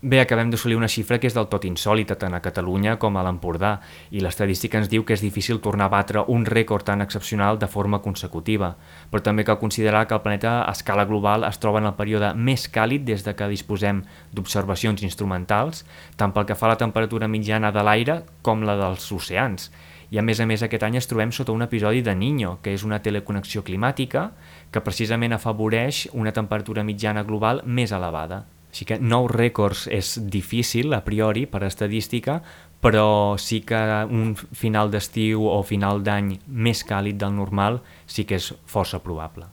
Bé, acabem d'assolir una xifra que és del tot insòlita tant a Catalunya com a l'Empordà i l'estadística ens diu que és difícil tornar a batre un rècord tan excepcional de forma consecutiva, però també cal considerar que el planeta a escala global es troba en el període més càlid des de que disposem d'observacions instrumentals, tant pel que fa a la temperatura mitjana de l'aire com la dels oceans. I a més aquest any ens trobem sota un episodi de Niño, que és una teleconnexió climàtica que precisament afavoreix una temperatura mitjana global més elevada. Així que nous rècords és difícil a priori per estadística, però sí que un final d'estiu o final d'any més càlid del normal sí que és força probable.